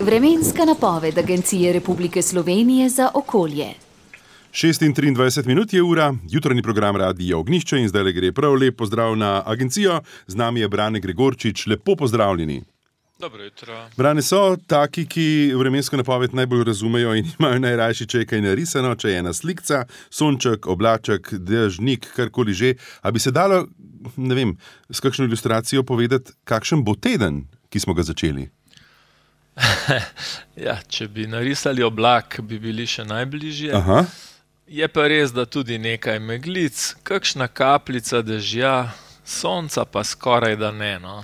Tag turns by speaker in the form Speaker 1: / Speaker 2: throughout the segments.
Speaker 1: Vremenska napoved Agencije Republike Slovenije za okolje.
Speaker 2: 6:23 je ura, jutranji program Radia Ognjišče in zdaj gre prav lep pozdrav na agencijo. Z nami je Brane Gregorčič, lepo pozdravljeni.
Speaker 3: Dobro jutro.
Speaker 2: Brane, so taki, ki vremensko napoved najbolj razumejo in imajo najrajši, če je kaj narisano, če je ena slikca, sonček, oblaček, dežnik, karkoli že. A bi se dalo, ne vem, s kakšno ilustracijo povedati, kakšen bo teden, ki smo ga začeli?
Speaker 3: Ja, če bi narisali oblak, bi bili še najbližje.
Speaker 2: Aha.
Speaker 3: Je pa res, da tudi nekaj meglic, kakšna kapljica dežja, sonca pa skoraj da ne, no.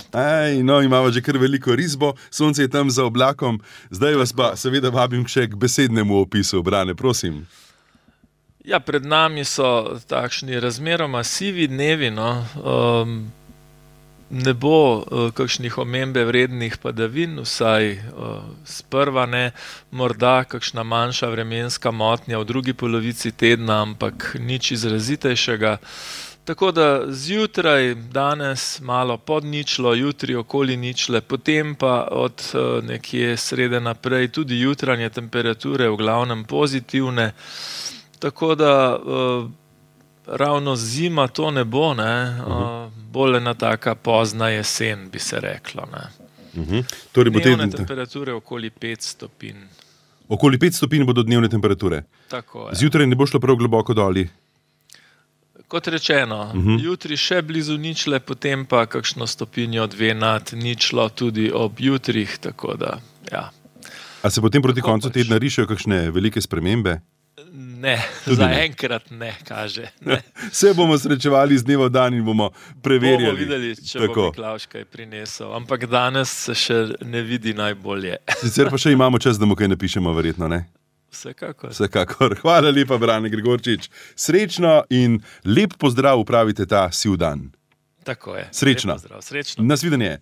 Speaker 2: Imamo že kar veliko risbo, sonce je tam za oblakom. Zdaj vas pa seveda vabim še k besednemu opisu. Brane, prosim.
Speaker 3: Ja, pred nami so takšni razmeroma sivi dnevi, no. Ne bo kakšnih omembe vrednih padavin, vsaj sprva ne, morda kakšna manjša vremenska motnja v drugi polovici tedna, ampak nič izrazitejšega. Tako da zjutraj, danes malo pod ničlo, jutri okoli ničle, potem pa od nekje srede naprej tudi jutranje temperature v glavnem pozitivne. Tako da ravno zima to ne bo, ne, bolj ena taka pozna jesen, bi se reklo, ne.
Speaker 2: Torej bo
Speaker 3: dnevne temperature okoli 5 stopinj.
Speaker 2: Okoli 5 stopinj bodo dnevne temperature.
Speaker 3: Tako je.
Speaker 2: Zjutraj ne bo šlo prav globoko doli.
Speaker 3: Kot rečeno, jutri še blizu ničle, potem pa kakšno stopinjo, 2 nad ničlo tudi ob jutrih, tako da, ja.
Speaker 2: A se potem proti koncu tedna rišejo kakšne velike spremembe?
Speaker 3: Ne, zaenkrat ne, kaže. Ne.
Speaker 2: Se bomo srečevali z dneva v dan in bomo preverjali.
Speaker 3: Bomo videli, če bo Miklavž kaj prinesel, ampak danes se še ne vidi najbolje.
Speaker 2: Sicer pa še imamo čas, da mu kaj napišemo, verjetno, ne? Vsekakor. Hvala lepa, Brane Gregorčič. Srečno in lep pozdrav upravite ta siv dan.
Speaker 3: Tako je.
Speaker 2: Srečno.
Speaker 3: Lep pozdrav. Srečno.
Speaker 2: Nasvidenje.